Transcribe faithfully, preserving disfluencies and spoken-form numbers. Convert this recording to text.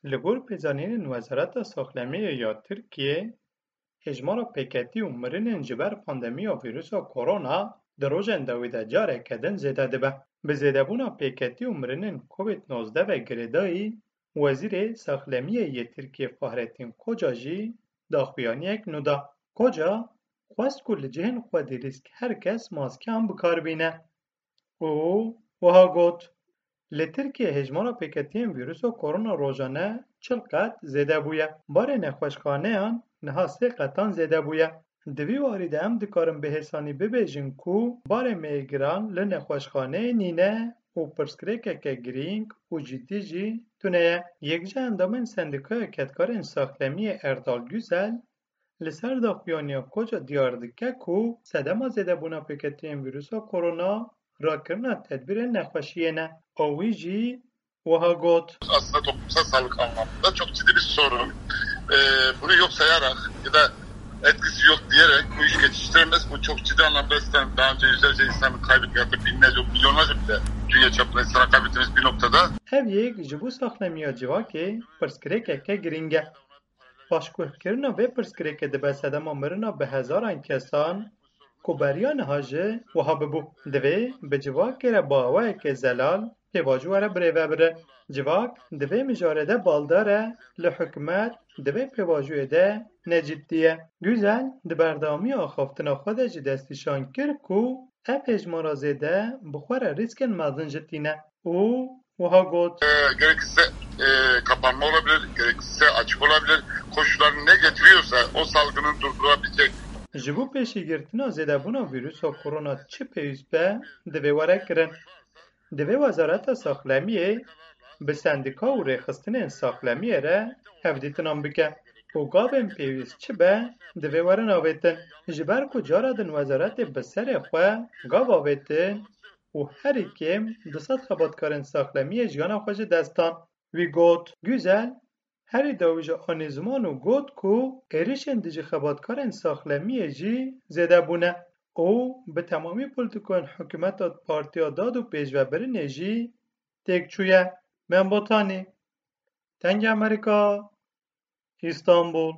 Li gor pêzanînên Wezareta Saxlemiyê ya Tirkiyê, hêjmara pêketî û mirinên ji ber pandemiya vîrusa korona di rojên dawî de careke din zêde dibe. Bi zêdebûna pêketî û mirinên Covid nozdeh ve girêdayî, Wezîrê Saxlemiyê yê Tirkiyê Fahrettin Koca jî daxuyaniyek nû da. Koca xwest ku li cihên xwedî rîsk her kes maskeyan bi kar bîne û wiha got, Li Tirkiyê hêjmara pêketiyên vîrusa korona rojane çil qet zêde bûye. Barê nexweşxaneyan niha sê qetan zêde bûye. Di vî warî de em dikarin bi hêsanî bibêjin ku barê mêgiran li nexweşxaneyê nîne û pirsgirêkeke girîng û cidî jî tune ye. Yek ji endamên Sendîkaya Kedkarên Saxlemiyê Erdal Güzel li ser daxuyaniya Koca diyar dike ku sedema zêdebûna pêketiyên vîrusa korona rakirina tedbîrên nexweşiyê ne. Û wî jî wiha got. Aslında toplumsal sağlık anlamında çok ciddi bir sorun. Ee, bunu yok sayarak ya da etkisi yok diyerek bu iş geçiştiremez. Bu çok ciddi anlamda zaten daha önce yüzlerce insanı kaybettik, hatta binlerce, milyonlarca bile dünya çapında insana kaybettiğimiz bir noktada. Ev yek ji bo saxlemiya civakê pirsgirêkeke girîng e. Paşguhkirina vê pirsgirêkê dibe sedema mirina bi hezaran kesan ku beriya niha jî wiha bibû. Divê bi civakê re bi awayekê zelal pêvajo were birêvebirin. Civak di vê mijarê de baldar e, li hikûmet di vê pêvajoyê de ne cidî ye. Güzel di berdewamiya axaftina xwe de jî destnîşan kir ku ev hêjmara zêde bi xwe re rîskên mezin jî tîne û wiha got. E, gerekirse e, kapanma olabilir, gerekirse açık olabilir. Koşullar ne getiriyorsa o salgının durdurabilecek. Ji bo pêşîgirtina zêdebûna vîrusa korona çi pêwîst be, divê were kirin. Divê Wezareta Saxlemiyê bi sendîka û rêxistinên saxlemiyê re hevdîtinan bike û gavên pêwîst çi be, divê werin avêtin. Ji ber ku cara din wezaretê bi serê xwe gav avêtin û herî kêm du sed xebatkarên saxlemiyê jiyana xwe ji dest dan. Wî got, Güzel herî dawî jî anî ziman û got ku êrişên dijî xebatkarên saxlemiyê jî zêde bûne û bi temamî polîtîkayên hikûmeta Partiya Dad û Pêşvebirinê jî têk çûye. Membotanî, Dengê Amerîka, Îstanbul.